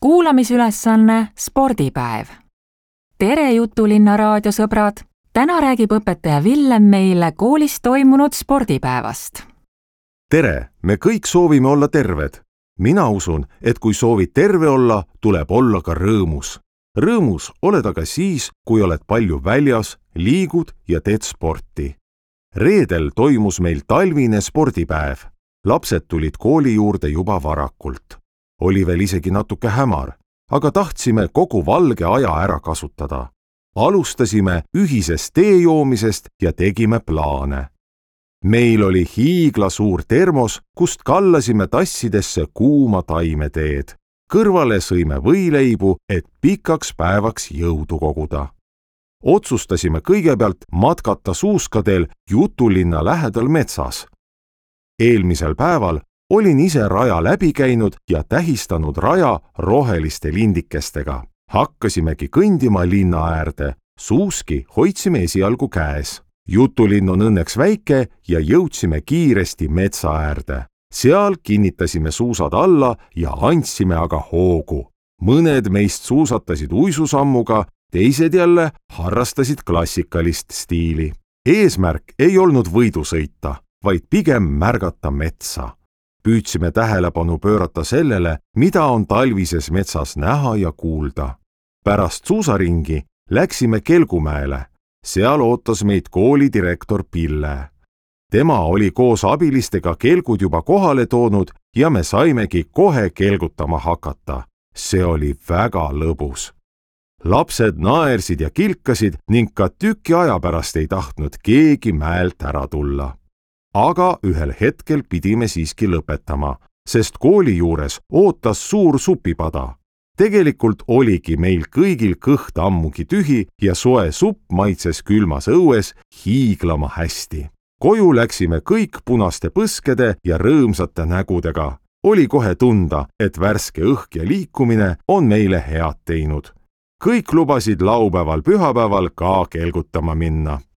Kuulamisülesanne spordipäev. Tere Jutulinna raadiosõbrad! Täna räägib õpetaja Villem meile koolis toimunud spordipäevast. Tere! Me kõik soovime olla terved. Mina usun, et kui soovid terve olla, tuleb olla ka rõõmus. Rõõmus oled aga siis, kui oled palju väljas, liigud ja teed sporti. Reedel toimus meil talvine spordipäev. Lapsed tulid kooli juurde juba varakult. Oli veel isegi natuke hämar, aga tahtsime kogu valge aja ära kasutada. Alustasime ühisest tee joomisest ja tegime plaane. Meil oli hiiglasuur termos, kust kallasime tassidesse kuuma taimeteed. Kõrvale sõime võileibu, et pikaks päevaks jõudu koguda. Otsustasime kõigepealt matkata suuskadel Jutulinna lähedal metsas. Eelmisel päeval olin ise raja läbi käinud ja tähistanud raja roheliste lindikestega. Hakkasimegi kõndima linna äärde, suuski hoidsime esialgu käes. Jutulinn on õnneks väike ja jõudsime kiiresti metsa äärde. Seal kinnitasime suusad alla ja andsime aga hoogu. Mõned meist suusatasid uisusammuga, teised jälle harrastasid klassikalist stiili. Eesmärk ei olnud võidu sõita, vaid pigem märgata metsa. Püüdsime tähelepanu pöörata sellele, mida on talvises metsas näha ja kuulda. Pärast suusaringi läksime Kelgumäele. Seal ootas meid koolidirektor Pille. Tema oli koos abilistega kelgud juba kohale toonud ja me saimegi kohe kelgutama hakata. See oli väga lõbus. Lapsed naersid ja kilkasid ning ka tüki aja pärast ei tahtnud keegi mäelt ära tulla. Aga ühel hetkel pidime siiski lõpetama, sest kooli juures ootas suur supipada. Tegelikult oligi meil kõigil kõht ammugi tühi ja soe supp maitses külmas õues hiiglama hästi. Koju läksime kõik punaste põskede ja rõõmsate nägudega. Oli kohe tunda, et värske õhk ja liikumine on meile head teinud. Kõik lubasid laupäeval pühapäeval ka kelgutama minna.